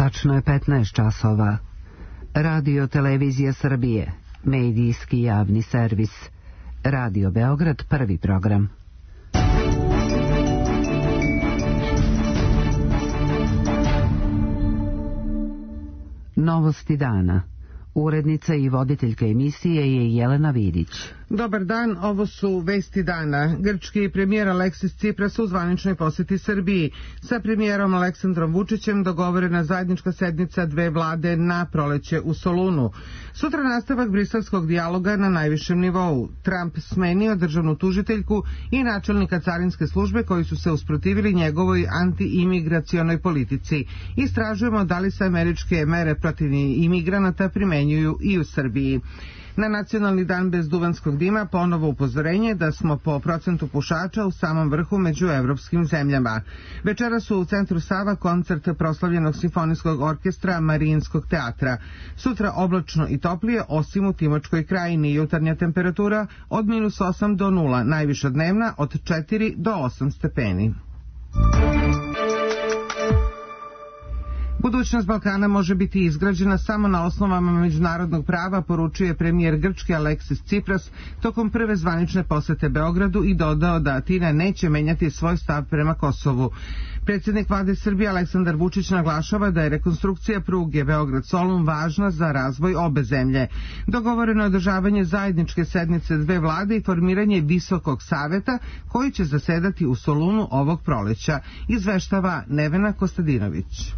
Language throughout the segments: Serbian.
Tačno je 15 časova. Radio Televizija Srbije, medijski javni servis. Radio Beograd, prvi program. Novosti dana. Urednica i voditeljka emisije je Jelena Vidić. Dobar dan, ovo su vesti dana. Grčki premijer Aleksis Cipras u zvaničnoj poseti Srbiji. Sa premijerom Aleksandrom Vučićem dogovorena zajednička sednica dve vlade na proleće u Solunu. Sutra nastavak briselskog dijaloga na najvišem nivou. Trump smenio državnu tužiteljku i načelnika carinske službe koji su se usprotivili njegovoj anti-imigracionoj politici. Istražujemo da li se američke mere protiv imigranata primenjuju i u Srbiji. Na nacionalni dan bez duvanskog dima ponovo upozorenje da smo po procentu pušača u samom vrhu među evropskim zemljama. Večera su u centru Sava koncert proslavljenog simfonijskog orkestra Marijinskog teatra. Sutra oblačno i toplije, osim u Timočkoj krajini. Jutarnja temperatura od -8 do 0, najviša dnevna od 4 do 8 stepeni. Budućnost Balkana može biti izgrađena samo na osnovama međunarodnog prava, poručuje premijer Grčke Aleksis Cipras tokom prve zvanične posete Beogradu i dodao da Atina neće menjati svoj stav prema Kosovu. Predsjednik vlade Srbije Aleksandar Vučić naglašava da je rekonstrukcija pruge Beograd-Solun važna za razvoj obe zemlje. Dogovoreno je održavanje zajedničke sednice dve vlade i formiranje Visokog saveta koji će zasedati u Solunu ovog proleća, izveštava Nevena Kostadinović.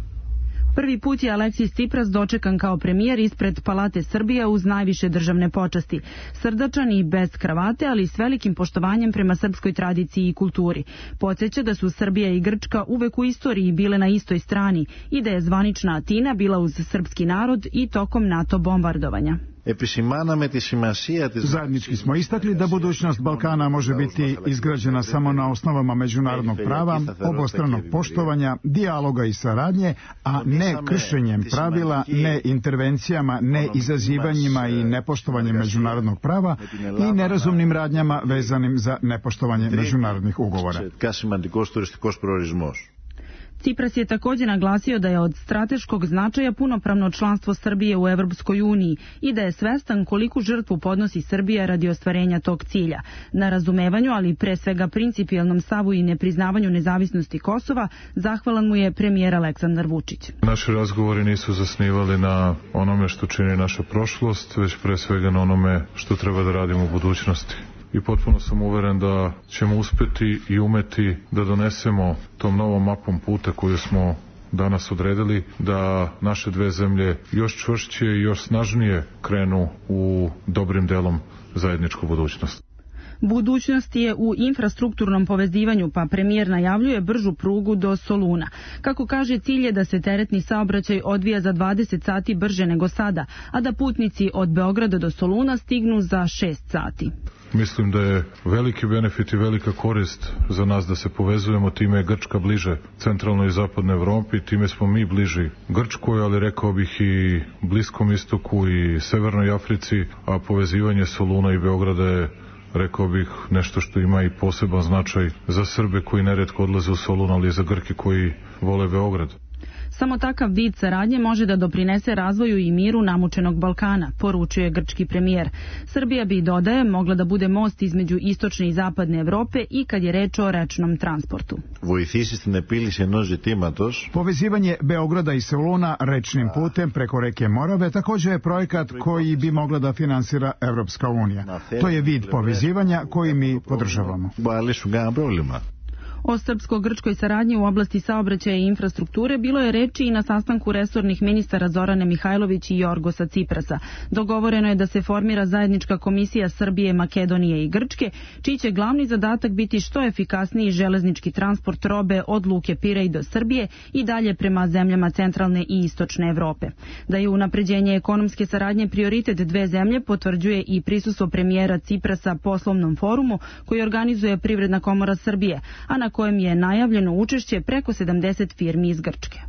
Prvi put je Aleksis Cipras dočekan kao premijer ispred Palate Srbije uz najviše državne počasti. Srdačan i bez kravate, ali s velikim poštovanjem prema srpskoj tradiciji i kulturi. Podsjeća da su Srbija i Grčka uvek u istoriji bile na istoj strani i da je zvanična Atina bila uz srpski narod i tokom NATO bombardovanja. Zajednički smo istakli da budućnost Balkana može biti izgrađena samo na osnovama međunarodnog prava, obostranog poštovanja, dijaloga i saradnje, a ne kršenjem pravila, ne intervencijama, ne izazivanjima i nepoštovanjem međunarodnog prava i nerazumnim radnjama vezanim za nepoštovanje međunarodnih ugovora. Cipras je također naglasio da je od strateškog značaja punopravno članstvo Srbije u Evropskoj uniji i da je svestan koliku žrtvu podnosi Srbija radi ostvarenja tog cilja. Na razumevanju, ali pre svega principijelnom stavu i nepriznavanju nezavisnosti Kosova, zahvalan mu je premijer Aleksandar Vučić. Naši razgovori nisu zasnivali na onome što čini naša prošlost, već pre svega na onome što treba da radimo u budućnosti. I potpuno sam uveren da ćemo uspeti i umeti da donesemo tom novom mapom puta koju smo danas odredili, da naše dve zemlje još čvršće i još snažnije krenu u dobrim delom zajedničku budućnost. Budućnost je u infrastrukturnom povezivanju, pa premijer najavljuje bržu prugu do Soluna. Kako kaže, cilj je da se teretni saobraćaj odvija za 20 sati brže nego sada, a da putnici od Beograda do Soluna stignu za 6 sati. Mislim da je veliki benefit i velika korist za nas da se povezujemo, time je Grčka bliže centralnoj i zapadnoj Evropi, time smo mi bliži Grčkoj, ali rekao bih i Bliskom istoku i Severnoj Africi, a povezivanje Soluna i Beograda je, rekao bih, nešto što ima i poseban značaj za Srbe koji neretko odlaze u Solun, ali i za Grke koji vole Beograd. Samo takav vid saradnje može da doprinese razvoju i miru namučenog Balkana, poručuje grčki premijer. Srbija bi, dodaje, mogla da bude most između istočne i zapadne Evrope i kad je reč o rečnom transportu. Povezivanje Beograda i Soluna rečnim putem preko reke Morave također je projekat koji bi mogla da finansira Evropska unija. To je vid povezivanja koji mi podržavamo. O srpsko-grčkoj saradnji u oblasti saobraćaja i infrastrukture bilo je reči i na sastanku resornih ministara Zorane Mihajlović i Jorgosa Ciprasa. Dogovoreno je da se formira zajednička komisija Srbije, Makedonije i Grčke, čiji će glavni zadatak biti što efikasniji železnički transport robe od luke Pirej do Srbije i dalje prema zemljama centralne i istočne Evrope. Da je unapređenje ekonomske saradnje prioritet dve zemlje potvrđuje i prisustvo premijera Ciprasa poslovnom forumu koji organizuje Privredna komora Srbije, a na kojem je najavljeno učešće preko 70 firmi iz Grčke.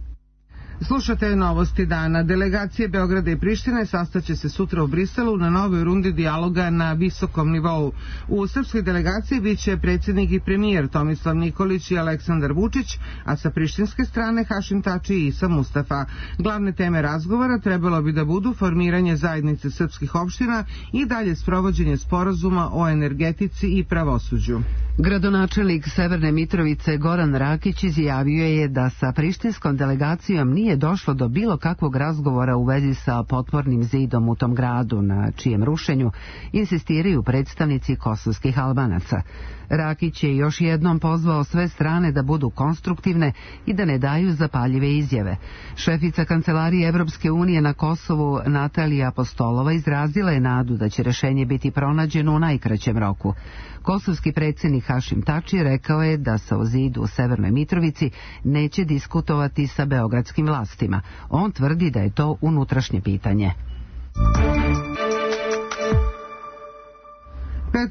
Slušate novosti dana. Delegacije Beograda i Prištine sastaće se sutra u Briselu na novoj rundi dijaloga na visokom nivou. U srpskoj delegaciji biće predsjednik i premijer Tomislav Nikolić i Aleksandar Vučić, a sa prištinske strane Hašim Tači i Isa Mustafa. Glavne teme razgovora trebalo bi da budu formiranje zajednice srpskih opština i dalje sprovođenje sporazuma o energetici i pravosuđu. Gradonačelnik Severne Mitrovice Goran Rakić izjavio je da sa prištinskom delegacijom nije došlo do bilo kakvog razgovora u vezi sa potpornim zidom u tom gradu, na čijem rušenju insistiraju predstavnici kosovskih Albanaca. Rakić je još jednom pozvao sve strane da budu konstruktivne i da ne daju zapaljive izjave. Šefica Kancelarije Evropske unije na Kosovu Natalija Apostolova izrazila je nadu da će rešenje biti pronađeno u najkraćem roku. Kosovski predsjednik Hašim Tači rekao je da se o zidu u Severnoj Mitrovici neće diskutovati sa beogradskim vlastima. On tvrdi da je to unutrašnje pitanje.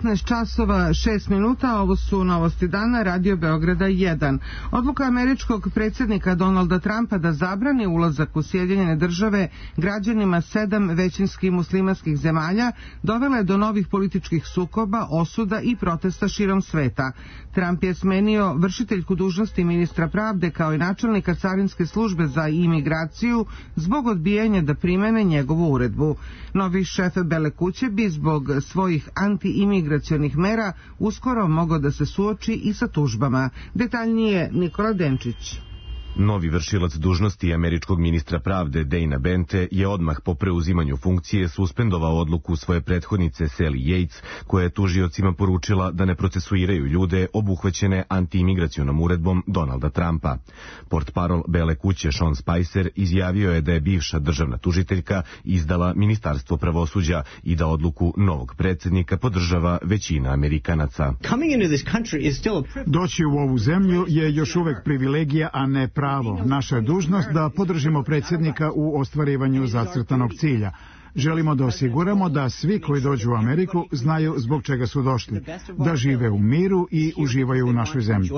15 časova 6 minuta, ovo su novosti dana, Radio Beograda 1. Odluka američkog predsjednika Donalda Trumpa da zabrani ulazak u Sjedinjene države građanima 7 većinskih muslimanskih zemalja dovela je do novih političkih sukoba, osuda i protesta širom sveta. Trump je smenio vršiteljku dužnosti ministra pravde kao i načelnika carinske službe za imigraciju zbog odbijanja da primene njegovu uredbu. Novi šef Bele kuće bi zbog svojih anti-imigracionih mera uskoro mogao da se suoči i sa tužbama. Detaljnije Nikola Denčić. Novi vršilac dužnosti američkog ministra pravde Dana Bente je odmah po preuzimanju funkcije suspendovao odluku svoje prethodnice Sally Yates, koja je tužiocima poručila da ne procesuiraju ljude obuhvaćene antiimigracionom uredbom Donalda Trumpa. Portparol Bele kuće Sean Spicer izjavio je da je bivša državna tužiteljka izdala Ministarstvo pravosuđa i da odluku novog predsjednika podržava većina Amerikanaca. Doći u ovu zemlju je još uvek privilegija, a ne pravo. Naša je dužnost da podržimo predsjednika u ostvarivanju zacrtanog cilja. Želimo da osiguramo da svi koji dođu u Ameriku znaju zbog čega su došli, da žive u miru i uživaju u našoj zemlji.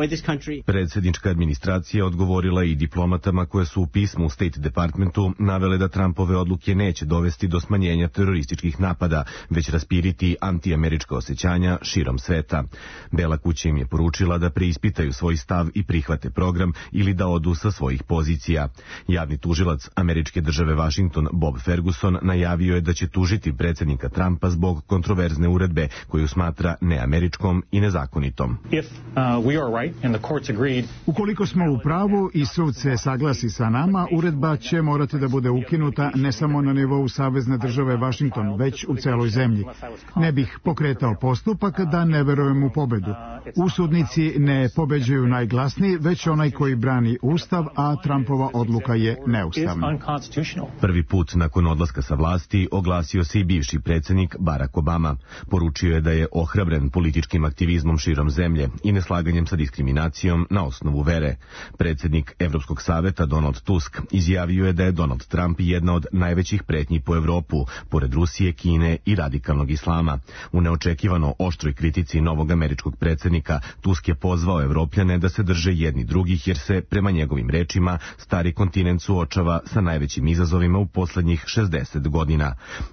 Predsjednička administracija odgovorila i diplomatama koje su u pismu u State Departmentu navele da Trumpove odluke neće dovesti do smanjenja terorističkih napada, već raspiriti antiamerička osjećanja širom sveta. Bela kuća im je poručila da preispitaju svoj stav i prihvate program ili da odu sa svojih pozicija. Javni tužilac američke države Washington Bob Ferguson najavio je da će tužiti predsjednika Trumpa zbog kontroverzne uredbe koju smatra neameričkom i nezakonitom. Ukoliko smo u pravu i sud se saglasi sa nama, uredba će morati da bude ukinuta ne samo na nivou savezne države Washington, već u celoj zemlji. Ne bih pokretao postupak da ne verujem u pobedu. Usudnici ne pobeđuju najglasniji, već onaj koji brani Ustav, a Trumpova odluka je neustavna. Prvi put nakon odlaska sa vlasti oglasio se i bivši predsjednik Barack Obama. Poručio je da je ohrabren političkim aktivizmom širom zemlje i neslaganjem sa diskriminacijom na osnovu vere. Predsjednik Evropskog saveta Donald Tusk izjavio je da je Donald Trump jedna od najvećih pretnji po Evropu, pored Rusije, Kine i radikalnog islama. U neočekivano oštroj kritici novog američkog predsjednika Tusk je pozvao Evropljane da se drže jedni drugih, jer se, prema njegovim rečima, stari kontinent suočava sa najvećim izazovima u poslednjih 60 godina.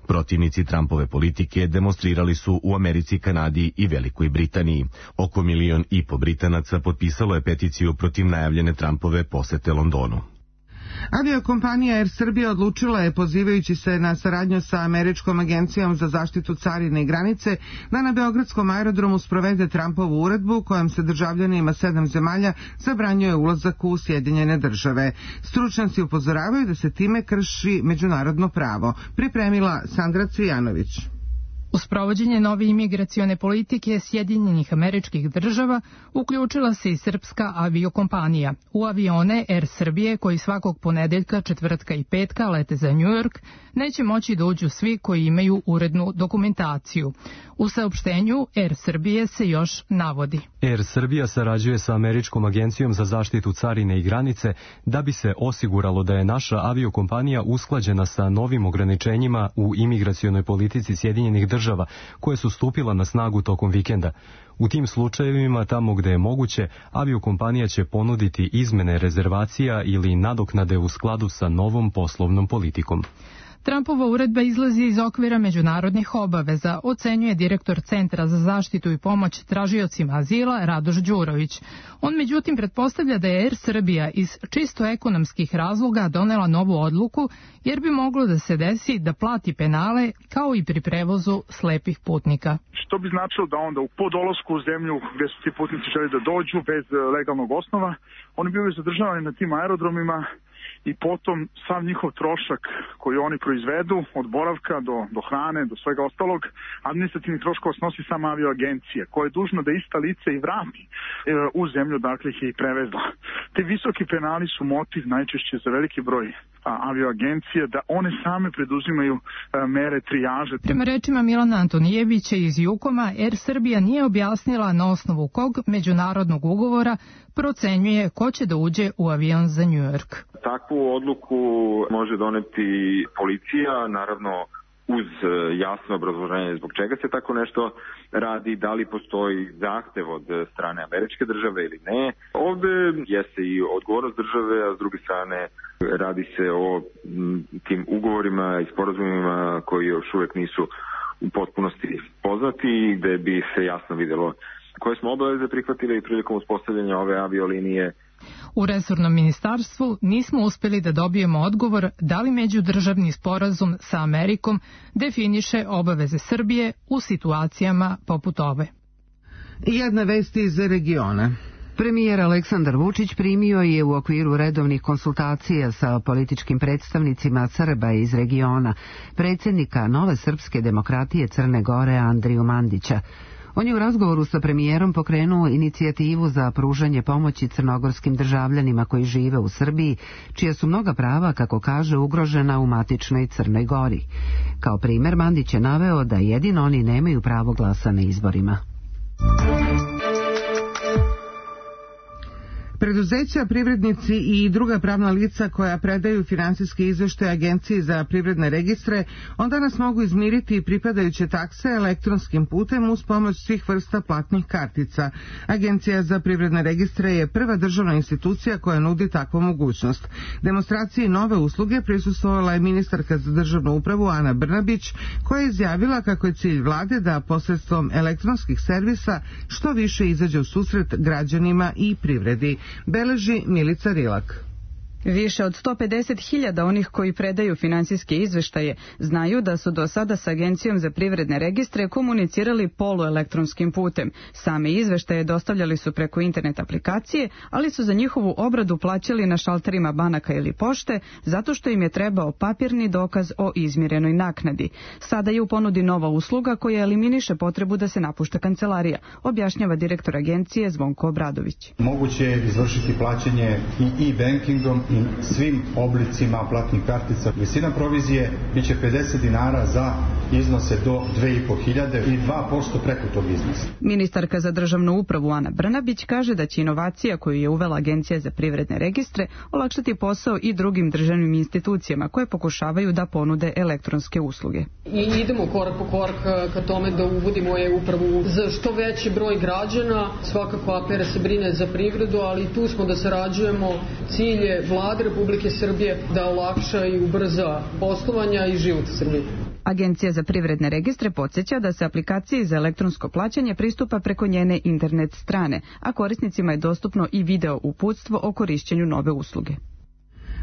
Protivnici Trumpove politike demonstrirali su u Americi, Kanadi i Velikoj Britaniji. Oko 1,5 miliona Britanaca potpisalo je peticiju protiv najavljene Trumpove posete Londonu. Aviokompanija Air Srbija odlučila je, pozivajući se na saradnju sa Američkom agencijom za zaštitu carine i granice, da na beogradskom aerodromu sprovede Trumpovu uredbu kojom se državljanima 7 zemalja zabranjuje ulazak u Sjedinjene države. Stručnjaci upozoravaju da se time krši međunarodno pravo. Pripremila Sandra Cvijanović. U sprovođenje nove imigracione politike Sjedinjenih Američkih Država uključila se i srpska aviokompanija. U avione Air Srbije, koji svakog ponedeljka, četvrtka i petka lete za New York, neće moći da uđu svi koji imaju urednu dokumentaciju. U saopštenju Air Srbije se još navodi: Air Srbija sarađuje sa Američkom agencijom za zaštitu carine i granice da bi se osiguralo da je naša aviokompanija usklađena sa novim ograničenjima u imigracionoj politici Sjedinjenih Država država koje su stupila na snagu tokom vikenda. U tim slučajevima, tamo gde je moguće, aviokompanija će ponuditi izmene rezervacija ili nadoknade u skladu sa novom poslovnom politikom. Trumpova uredba izlazi iz okvira međunarodnih obaveza, ocenjuje direktor Centra za zaštitu i pomoć tražiocima azila Radoš Đurović. On međutim pretpostavlja da je Air Srbija iz čisto ekonomskih razloga donela novu odluku, jer bi moglo da se desi da plati penale kao i pri prevozu slepih putnika. Što bi značilo da onda po dolasku u zemlju gde su ti putnici želi da dođu bez legalnog osnova, oni bivaju zadržavani na tim aerodromima i potom sav njihov trošak koji oni proizvedu, od boravka do hrane, do svega ostalog, administrativni troškova snosi sama avioagencija, koja je dužna da ista lica i vrati u zemlju, dakle ih je i prevezla. Te visoki penali su motiv najčešće za veliki broj avioagencije da one same preduzimaju mere trijaže. Prema rečima Milana Antonijevića iz Jukoma, Air Srbija nije objasnila na osnovu kog međunarodnog ugovora procenjuje ko će da uđe u avion za New York. Takvu odluku može doneti policija, naravno uz jasno obrazloženje zbog čega se tako nešto radi, da li postoji zahtev od strane američke države ili ne. Ovde jeste i odgovornost države, a s druge strane radi se o tim ugovorima i sporazumima koji još uvek nisu u potpunosti poznati, gde bi se jasno videlo koje smo obaveze prihvatili prilikom uspostavljanja ove aviolinije. U resornom ministarstvu nismo uspeli da dobijemo odgovor da li međudržavni sporazum sa Amerikom definiše obaveze Srbije u situacijama poput ove. Jedna vest iz regiona. Premijer Aleksandar Vučić primio je u okviru redovnih konsultacija sa političkim predstavnicima Srba iz regiona predsjednika Nove srpske demokratije Crne Gore Andriju Mandića. On je u razgovoru sa premijerom pokrenuo inicijativu za pružanje pomoći crnogorskim državljanima koji žive u Srbiji, čija su mnoga prava, kako kaže, ugrožena u matičnoj Crnoj Gori. Kao primer, Mandić je naveo da jedino oni nemaju pravo glasa na izborima. Preduzeća, privrednici i druga pravna lica koja predaju finansijske izveštaje Agenciji za privredne registre on danas mogu izmiriti pripadajuće takse elektronskim putem uz pomoć svih vrsta platnih kartica. Agencija za privredne registre je prva državna institucija koja nudi takvu mogućnost. Demonstraciji nove usluge prisustvovala je ministarka za državnu upravu Ana Brnabić, koja je izjavila kako je cilj vlade da posredstvom elektronskih servisa što više izađe u susret građanima i privredi. Beleži Milica Rilak. Više od 150.000 onih koji predaju finansijske izveštaje znaju da su do sada s Agencijom za privredne registre komunicirali poluelektronskim putem. Same izveštaje dostavljali su preko internet aplikacije, ali su za njihovu obradu plaćali na šalterima banaka ili pošte, zato što im je trebao papirni dokaz o izmirenoj naknadi. Sada je u ponudi nova usluga koja eliminiše potrebu da se napušta kancelarija, objašnjava direktor agencije Zvonko Obradović. Moguće je izvršiti plaćanje i e-bankingom i svim oblicima platnih kartica. Visina provizije biće 50 dinara za iznose do 2.500 i 2% preko tog iznosa. Ministarka za državnu upravu Ana Brnabić kaže da će inovacija koju je uvela Agencija za privredne registre olakšati posao i drugim državnim institucijama koje pokušavaju da ponude elektronske usluge. I idemo korak po korak ka tome da uvodimo e-upravu za što veći broj građana. Svakako APR se brine za privredu, ali tu smo da sarađujemo. Cilj je Vlade Republike Srbije da olakša i ubrza poslovanja i život u Srbiji. Agencija za privredne registre podsjeća da se aplikaciji za elektronsko plaćanje pristupa preko njene internet strane, a korisnicima je dostupno i video uputstvo o korišćenju nove usluge.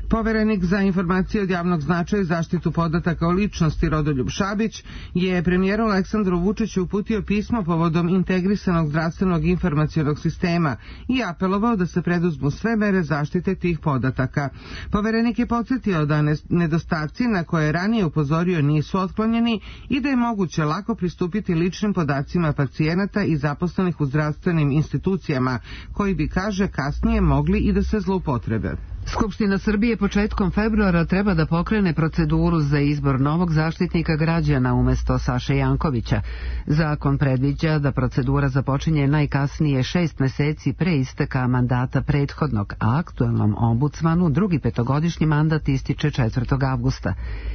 Poverenik za informacije od javnog značaja i zaštitu podataka o ličnosti Rodoljub Šabić je premijeru Aleksandru Vučiću uputio pismo povodom integrisanog zdravstvenog informacionog sistema i apelovao da se preduzmu sve mere zaštite tih podataka. Poverenik je podsjetio da nedostaci na koje je ranije upozorio nisu otklonjeni i da je moguće lako pristupiti ličnim podacima pacijenata i zaposlenih u zdravstvenim institucijama, koji bi, kaže, kasnije mogli i da se zloupotrebe. Skupština Srbije početkom februara treba da pokrene proceduru za izbor novog zaštitnika građana umjesto Saše Jankovića. Zakon predviđa da procedura započinje najkasnije 6 meseci pre isteka mandata prethodnog, a aktuelnom ombudsmanu drugi petogodišnji mandat ističe 4. avgusta.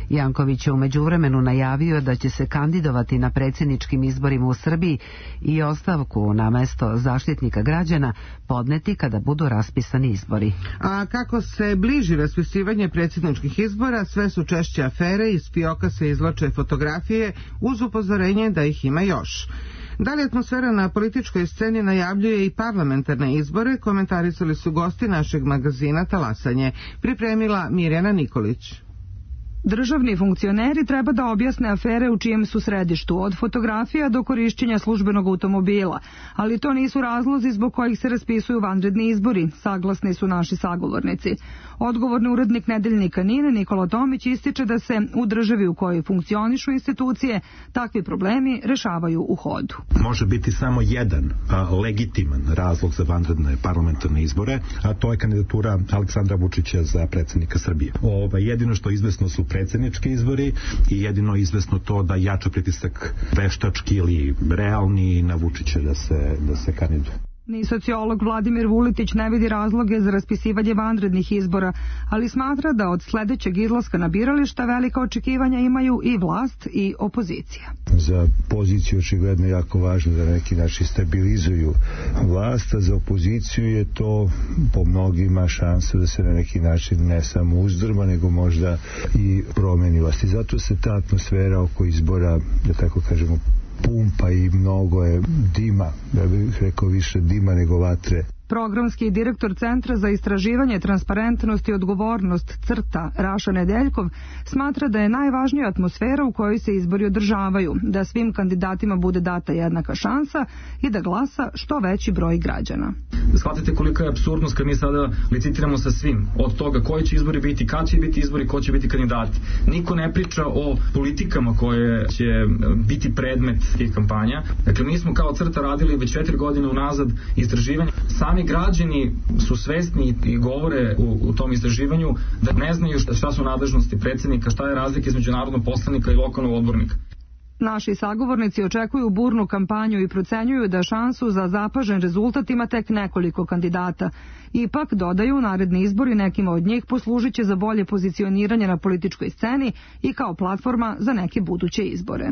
Janković je u međuvremenu najavio da će se kandidovati na predsjedničkim izborima u Srbiji i ostavku na mesto zaštitnika građana podneti kada budu raspisani izbori. A kako se bliži raspisivanje predsjedničkih izbora, sve su češće afere, iz fioka se izvlače fotografije uz upozorenje da ih ima još. Da li atmosfera na političkoj sceni najavljuje i parlamentarne izbore, komentarisali su gosti našeg magazina Talasanje. Pripremila Mirjana Nikolić. Državni funkcioneri treba da objasne afere u čijem su središtu, od fotografija do korišćenja službenog automobila, ali to nisu razlozi zbog kojih se raspisuju vanredni izbori, saglasni su naši sagovornici. Odgovorni urednik nedeljnika NIN Nikola Tomić ističe da se u državi u kojoj funkcionišu institucije takvi problemi rešavaju u hodu. Može biti samo jedan legitiman razlog za vanredne parlamentarne izbore, a to je kandidatura Aleksandra Vučića za predsjednika Srbije. Jedino što izvesno su predsjednički izbori i jedino izvesno to da jača pritisak veštački ili realni na Vučića da se kandiduje. Ni sociolog Vladimir Vuletić ne vidi razloge za raspisivanje vanrednih izbora, ali smatra da od sledećeg izlaska na birališta velika očekivanja imaju i vlast i opozicija. Za poziciju očigledno jako važno da na neki način stabilizuju vlast, a za opoziciju je to po mnogima šansa da se na neki način ne samo uzdrma, nego možda i promeni vlast. I zato se ta atmosfera oko izbora, da tako kažemo, pumpa i mnogo je dima, ja bih rekao više dima nego vatre. Programski direktor Centra za istraživanje, transparentnost i odgovornost CRTA Raša Nedeljkov smatra da je najvažnija atmosfera u kojoj se izbori održavaju, da svim kandidatima bude data jednaka šansa i da glasa što veći broj građana. Shvatite kolika je apsurdnost kad mi sada licitiramo sa svim, od toga koji će izbori biti, kad će biti izbori, ko će biti kandidati. Niko ne priča o politikama koje će biti predmet tih kampanja. Dakle, mi smo kao CRTA radili već 4 godine unazad istraživanje. Sami građani su svesni i govore u tom istraživanju da ne znaju šta su nadležnosti predsjednika, šta je razlika između narodnog poslanika i lokalnog odbornika. Naši sagovornici očekuju burnu kampanju i procenjuju da šansu za zapažen rezultat ima tek nekoliko kandidata. Ipak, dodaju, naredni izbori nekima od njih poslužit će za bolje pozicioniranje na političkoj sceni i kao platforma za neke buduće izbore.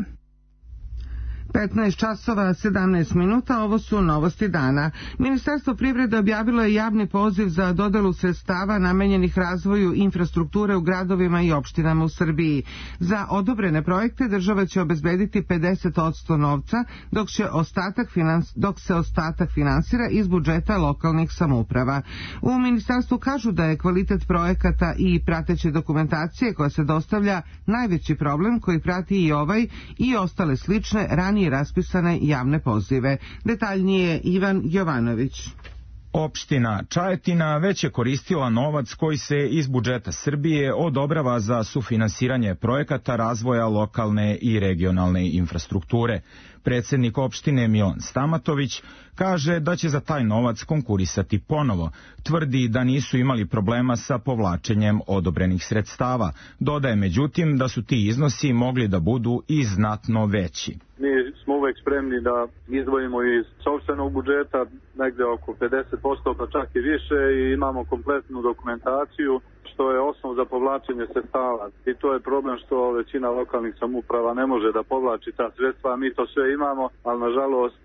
15 časova 17 minuta, ovo su novosti dana. Ministarstvo privrede objavilo je javni poziv za dodelu sredstava namenjenih razvoju infrastrukture u gradovima i opštinama u Srbiji. Za odobrene projekte država će obezbediti 50% novca, dok se ostatak finansira iz budžeta lokalnih samouprava. U ministarstvu kažu da je kvalitet projekata i prateće dokumentacije koja se dostavlja najveći problem koji prati i ovaj i ostale slične ranije raspisane javne pozive. Detaljnije Ivan Jovanović. Opština Čajetina već je koristila novac koji se iz budžeta Srbije odobrava za sufinansiranje projekata razvoja lokalne i regionalne infrastrukture. Predsjednik opštine Milan Stamatović kaže da će za taj novac konkurisati ponovo. Tvrdi da nisu imali problema sa povlačenjem odobrenih sredstava. Dodaje međutim da su ti iznosi mogli da budu i znatno veći. Mi smo uvek spremni da izdvojimo iz sopstvenog budžeta negde oko 50%, pa čak i više, i imamo kompletnu dokumentaciju što je osnov za povlačenje sredstava. I to je problem što većina lokalnih samouprava ne može da povlači ta sredstva. Mi to sve imamo, ali nažalost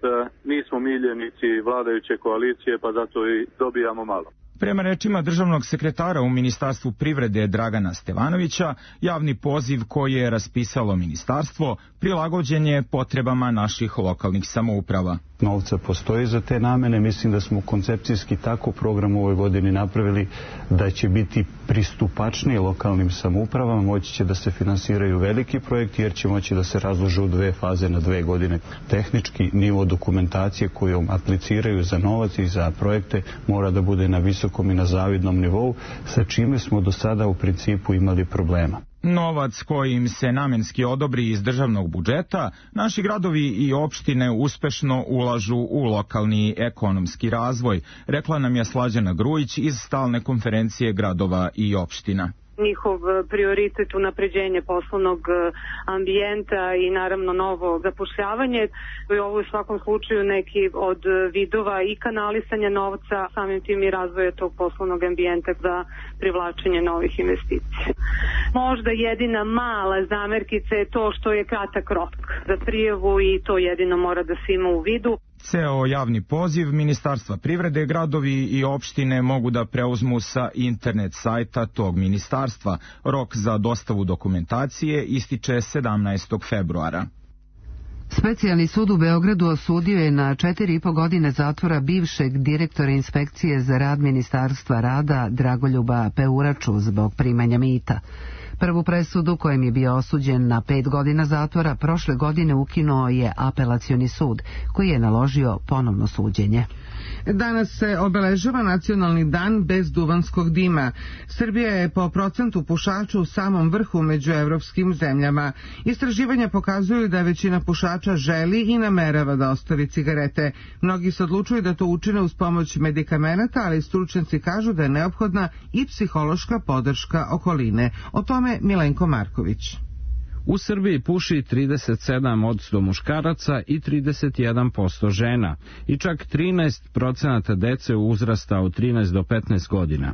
nismo miljenici vladajuće koalicije, pa zato i dobijamo malo. Prema rečima državnog sekretara u Ministarstvu privrede Dragana Stevanovića, javni poziv koji je raspisalo ministarstvo prilagođen je potrebama naših lokalnih samouprava. Novca postoji za te namene, mislim da smo koncepcijski tako program u ovoj godini napravili da će biti pristupačniji lokalnim samoupravama, moći će da se finansiraju veliki projekti jer će moći da se razlože u 2 faze na 2 godine. Tehnički nivo dokumentacije kojom apliciraju za novac i za projekte mora da bude na visokom i na zavidnom nivou, sa čime smo do sada u principu imali problema. Novac koji im se namenski odobri iz državnog budžeta, naši gradovi i opštine uspešno ulažu u lokalni ekonomski razvoj, rekla nam je Slađana Grujić iz stalne konferencije gradova i opština. Njihov prioritet unapređenje poslovnog ambijenta i naravno novo zapošljavanje. Ovo je u svakom slučaju neki od vidova i kanalisanja novca, samim tim i razvoja tog poslovnog ambijenta za privlačenje novih investicija. Možda jedina mala zamerkica je to što je kratak rok za prijavu i to jedino mora da se ima u vidu. Ceo javni poziv Ministarstva privrede, gradovi i opštine mogu da preuzmu sa internet sajta tog ministarstva. Rok za dostavu dokumentacije ističe 17. februara. Specijalni sud u Beogradu osudio je na 4,5 godine zatvora bivšeg direktora inspekcije za rad Ministarstva rada Dragoljuba Peuraču zbog primanja mita. Prvu presudu kojem je bio osuđen na 5 godina zatvora prošle godine ukinuo je apelacioni sud koji je naložio ponovno suđenje. Danas se obeležava nacionalni dan bez duvanskog dima. Srbija je po procentu pušača u samom vrhu među evropskim zemljama. Istraživanja pokazuju da većina pušača želi i namerava da ostavi cigarete. Mnogi se odlučuju da to učine uz pomoć medikamenata, ali stručnjaci kažu da je neophodna i psihološka podrška okoline. O tome Milenko Marković. U Srbiji puši 37% muškaraca i 31% žena i čak 13% dece uzrasta od 13 do 15 godina.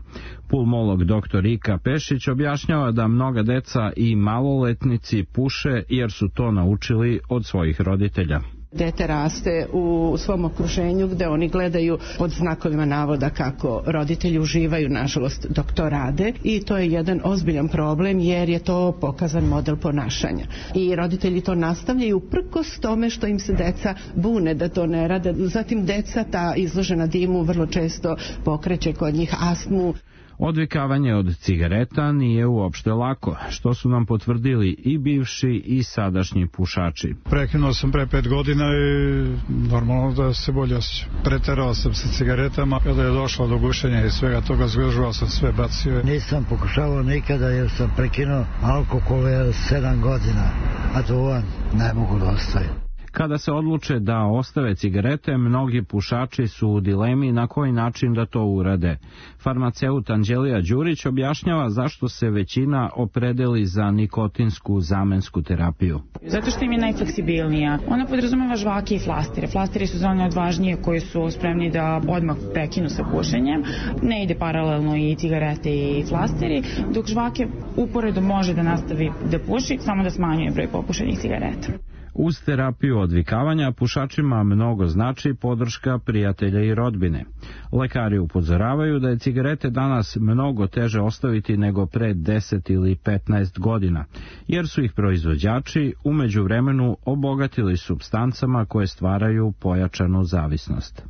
Pulmolog dr. Ika Pešić objašnjava da mnoga deca i maloletnici puše jer su to naučili od svojih roditelja. Dete raste u svom okruženju gde oni gledaju pod znakovima navoda kako roditelji uživaju, nažalost, dok to rade, i to je jedan ozbiljan problem jer je to pokazan model ponašanja. I roditelji to nastavljaju uprkos tome što im se deca bune da to ne rade. Zatim deca, ta izložena dimu, vrlo često pokreće kod njih astmu. Odvikavanje od cigareta nije uopšte lako, što su nam potvrdili i bivši i sadašnji pušači. Prekinuo sam pre 5 godina i normalno da se bolje osjećam. Preterao sam sa cigaretama, kada je došlo do gušenja i svega toga, zgužvao sam sve, bacio. Nisam pokušavao nikada jer sam prekinuo alkohol 7 godina, a duvan ne mogu da ostavim. Kada se odluče da ostave cigarete, mnogi pušači su u dilemi na koji način da to urade. Farmaceut Anđelija Đurić objašnjava zašto se većina opredeli za nikotinsku zamensku terapiju. Zato što im je najfleksibilnija. Ona podrazumeva žvake i flastire. Flastire su za one odvažnije koji su spremni da odmah prekinu sa pušenjem. Ne ide paralelno i cigarete i flastiri, dok žvake uporedo može da nastavi da puši, samo da smanjuje broj popušenih cigareta. Uz terapiju odvikavanja pušačima mnogo znači podrška prijatelja i rodbine. Lekari upozoravaju da je cigarete danas mnogo teže ostaviti nego pre 10 ili 15 godina, jer su ih proizvođači u međuvremenu obogatili supstancama koje stvaraju pojačanu zavisnost.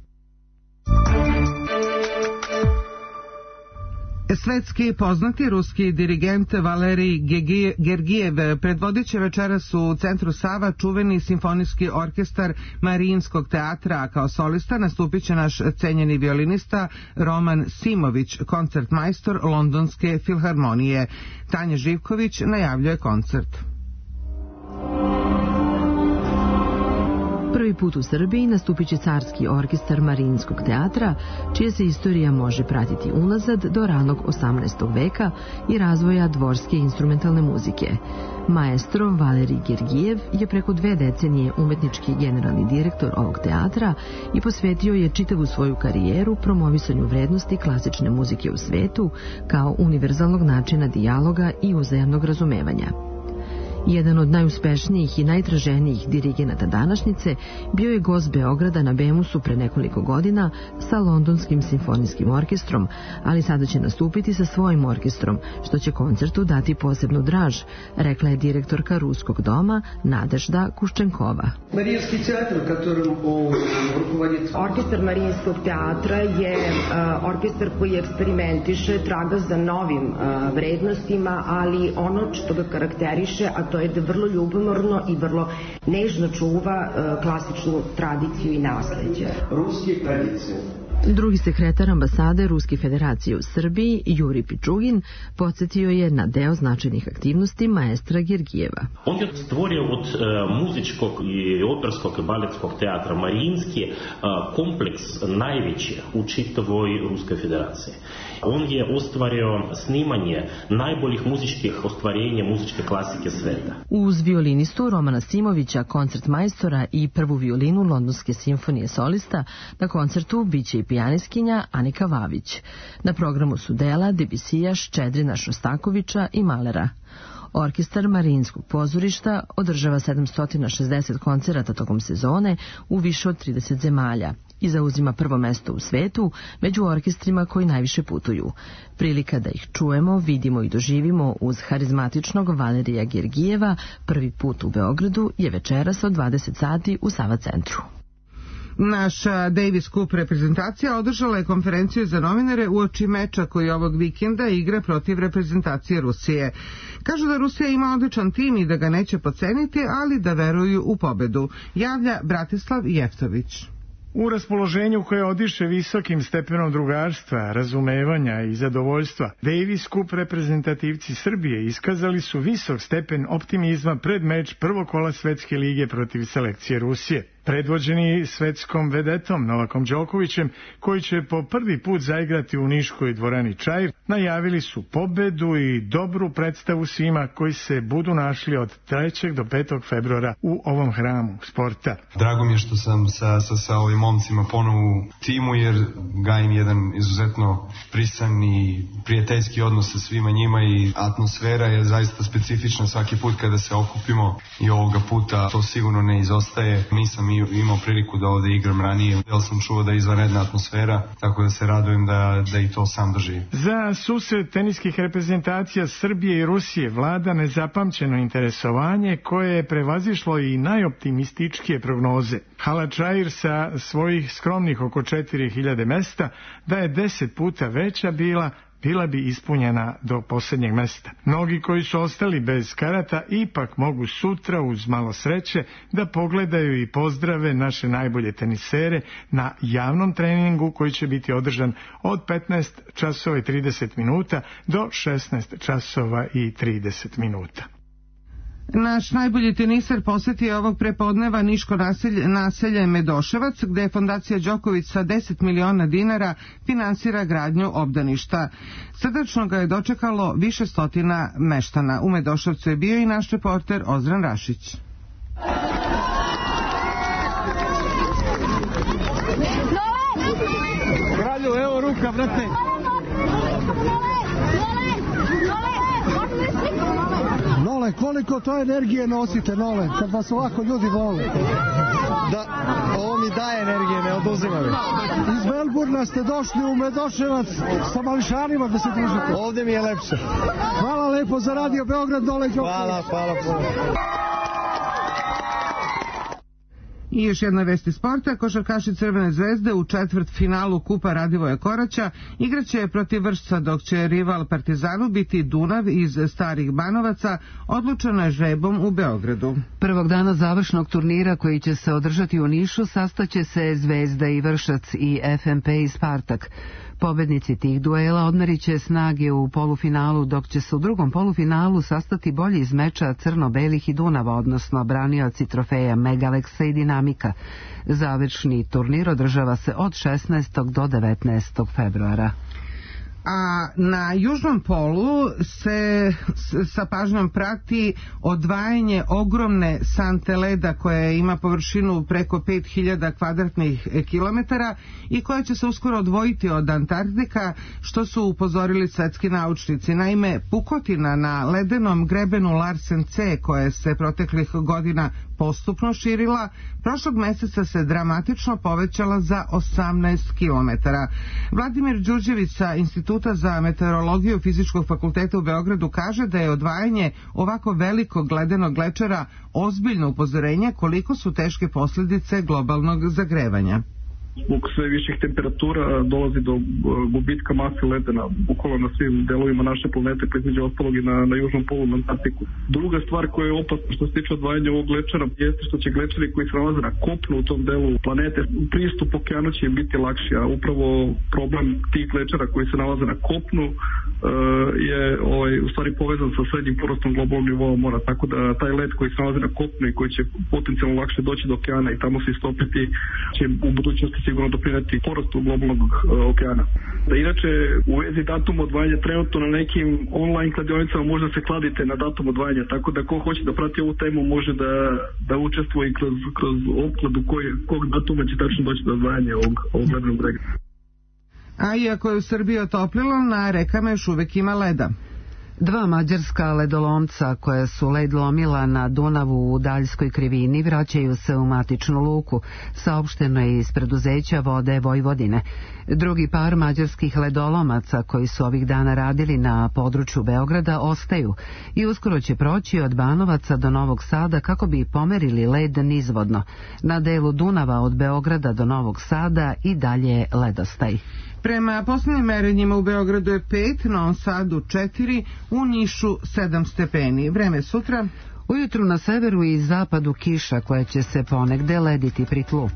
Svetski poznati ruski dirigent Valerij Gergijev predvodit će večeras u centru Sava čuveni simfonijski orkestar Marijinskog teatra, a kao solista nastupit će naš cenjeni violinista Roman Simović, koncertmajstor Londonske filharmonije. Tanja Živković najavljuje koncert. Prvi put u Srbiji nastupit će carski orkestar Marijinskog teatra, čija se istorija može pratiti unazad do ranog 18. veka i razvoja dvorske instrumentalne muzike. Maestro Valerij Gergijev je preko 2 decenije umetnički generalni direktor ovog teatra i posvetio je čitavu svoju karijeru promovisanju vrednosti klasične muzike u svetu kao univerzalnog načina dijaloga i uzajamnog razumevanja. Jedan od najuspešnijih i najtraženijih dirigenata današnjice bio je gost Beograda na Bemusu pre nekoliko godina sa Londonskim simfonijskim orkestrom, ali sada će nastupiti sa svojim orkestrom, što će koncertu dati posebnu draž, rekla je direktorka Ruskog doma Nadežda Kuščenkova. Marijinski teatr, katorom rukovodit. Orkestar Marijinskog teatra je orkestar koji eksperimentiše, traga za novim vrednostima, ali ono što ga karakteriše, a to je da vrlo ljubomorno i vrlo nežno čuva klasičnu tradiciju i nasleđe. Ruske tradicije Drugi sekretar ambasade Ruske federacije u Srbiji, Juri Pičugin, podsjetio je na deo značajnih aktivnosti maestra Gergijeva. On je stvorio od muzičkog i operskog i baletskog teatra Marinski kompleks najveći u čitavoj Ruskoj federaciji. On je ostvario snimanje najboljih muzičkih ostvarenja muzičke klasike sveta. Uz violinistu Romana Simovića, koncertmajstora i prvu violinu Londonske simfonije solista, na koncertu biće i pijanistkinja Anika Vavić. Na programu su dela Debusija, Ščedrina, Šostakovića i Malera. Orkestar Marinskog pozorišta održava 760 koncerata tokom sezone u više od 30 zemalja i zauzima prvo mesto u svetu među orkestrima koji najviše putuju. Prilika da ih čujemo, vidimo i doživimo uz harizmatičnog Valerija Gergijeva prvi put u Beogradu je večeras od 20 sati u Sava centru. Naša Davis Cup reprezentacija održala je konferenciju za novinare uoči meča koji ovog vikenda igra protiv reprezentacije Rusije. Kažu da Rusija ima odličan tim i da ga neće podceniti, ali da veruju u pobedu. Javlja Bratislav Jeftović. U raspoloženju koje odiše visokim stepenom drugarstva, razumevanja i zadovoljstva, Davis Cup reprezentativci Srbije iskazali su visok stepen optimizma pred meč prvog kola Svetske lige protiv selekcije Rusije. Predvođeni svetskom vedetom Novakom Đokovićem, koji će po prvi put zaigrati u niškoj dvorani Čair, najavili su pobedu i dobru predstavu svima koji se budu našli od 3. do 5. februara u ovom hramu sporta. Drago mi je što sam sa ovim momcima ponovo u timu, jer gajim jedan izuzetno prisan i prijateljski odnos sa svima njima i atmosfera je zaista specifična svaki put kada se okupimo i ovoga puta to sigurno ne izostaje. Nisam imao priliku da ovde igram ranije, jer sam čuo da je izvanredna atmosfera, tako da se radujem da i to sam doživim. Za susret teniskih reprezentacija Srbije i Rusije vlada nezapamćeno interesovanje koje je prevazišlo i najoptimističkije prognoze. Hala Čair sa svojih skromnih oko 4000 mesta, da je 10 puta veća bila bi ispunjena do posljednjeg mesta. Mnogi koji su ostali bez karata ipak mogu sutra uz malo sreće da pogledaju i pozdrave naše najbolje tenisere na javnom treningu koji će biti održan od 15 časova i 30 minuta do 16 časova i 30 minuta. Naš najbolji teniser posjetio ovog prepodneva niško naselje Medoševac, gde je fondacija Đoković sa 10 miliona dinara finansira gradnju obdaništa. Srdačno ga je dočekalo više stotina meštana. U Medoševcu je bio i naš reporter Ozran Rašić. Kralju, evo ruka, brate. Nole, koliko to energije nosite, Nole, kad vas ovako ljudi vole? Da, ovo mi daje energije, ne oduzima mi. Iz Melburna ste došli u Medoševac sa mališanima da se družite. Ovde mi je lepše. Hvala lepo za Radio Beograd, Nole Đoković. Hvala. I još jedna vesti sporta, košarkaši Crvene zvezde u četvrtfinalu Kupa Radivoja Koraća igraće protiv Vršca, dok će rival Partizanu biti Dunav iz Starih Banovaca, odlučeno je žrebom u Beogradu. Prvog dana završnog turnira koji će se održati u Nišu sastaće se Zvezda i Vršac i FNP i Spartak. Pobednici tih duela odmeriće snage u polufinalu, dok će se u drugom polufinalu sastati bolji iz meča Crno-Belih i Dunava, odnosno branioci trofeja Megaleksa i Dinamika. Završni turnir održava se od 16. do 19. februara. A na južnom polu se sa pažnjom prati odvajanje ogromne sante leda koja ima površinu preko 5000 kvadratnih kilometara i koja će se uskoro odvojiti od Antarktika, što su upozorili svetski naučnici. Naime, pukotina na ledenom grebenu Larsen C, koja se proteklih godina postupno širila, prošlog meseca se dramatično povećala za 18 kilometara. Vladimir Đurđević sa Instituta za meteorologiju Fizičkog fakulteta u Beogradu kaže da je odvajanje ovako velikog ledenog glečera ozbiljno upozorenje koliko su teške posljedice globalnog zagrevanja. zbog sve viših temperatura dolazi do gubitka mase ledena bukvalno na svim delovima naše planete, pa između ostalog i na južnom polu, na Antarktiku. Druga stvar koja je opasna što se tiče odvajanja ovog glečera jeste što će glečeri koji se nalaze na kopnu u tom delu planete, pristup okeanu će biti lakši, a upravo problem tih glečera koji se nalaze na kopnu je u stvari povezan sa srednjim porastom globalnog nivoa mora, tako da taj led koji se nalazi na kopnu i koji će potencijalno lakše doći do okeana i tamo se istopiti će u budućnosti sigurno doprineti porastu globalnog okeana. Da inače u vezi datuma odvajanja trenutno na nekim online kladionicama možda se kladite na datum odvajanja, tako da ko hoće da prati ovu temu može da učestvuje i kroz opkladu kog datuma će tačno doći do odvajanja ovog ledenog brega. A iako je u Srbiji otoplilo, na rekama još uvek ima leda. Dva mađarska ledolomca koja su led lomila na Dunavu u Daljskoj krivini vraćaju se u matičnu luku, saopšteno je iz preduzeća Vode Vojvodine. Drugi par mađarskih ledolomaca koji su ovih dana radili na području Beograda ostaju i uskoro će proći od Banovaca do Novog Sada kako bi pomerili led nizvodno. Na delu Dunava od Beograda do Novog Sada i dalje ledostaj. Prema poslednjim merenjima u Beogradu je 5, na Novom Sadu 4, u Nišu 7 stepeni. Vreme sutra? Ujutru na severu i zapadu kiša koja će se ponegde lediti pri tlu.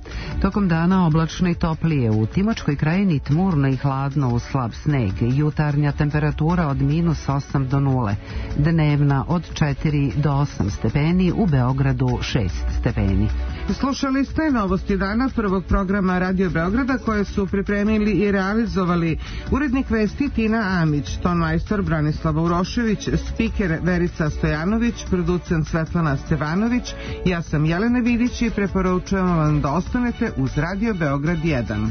Tokom dana oblačno i toplije, u Timočkoj krajini tmurno i hladno uz slab sneg, jutarnja temperatura od -8 do 0, dnevna od 4 do 8 stepeni, u Beogradu 6 stepeni. Slušali ste novosti dana prvog programa Radio Beograda koje su pripremili i realizovali urednik vesti Tina Amić, tonmajstor Branislava Urošević, spiker Verica Stojanović, producent Svetlana Stevanović, ja sam Jelena Vidić i preporučujem vam da ostanete uz Radio Beograd 1.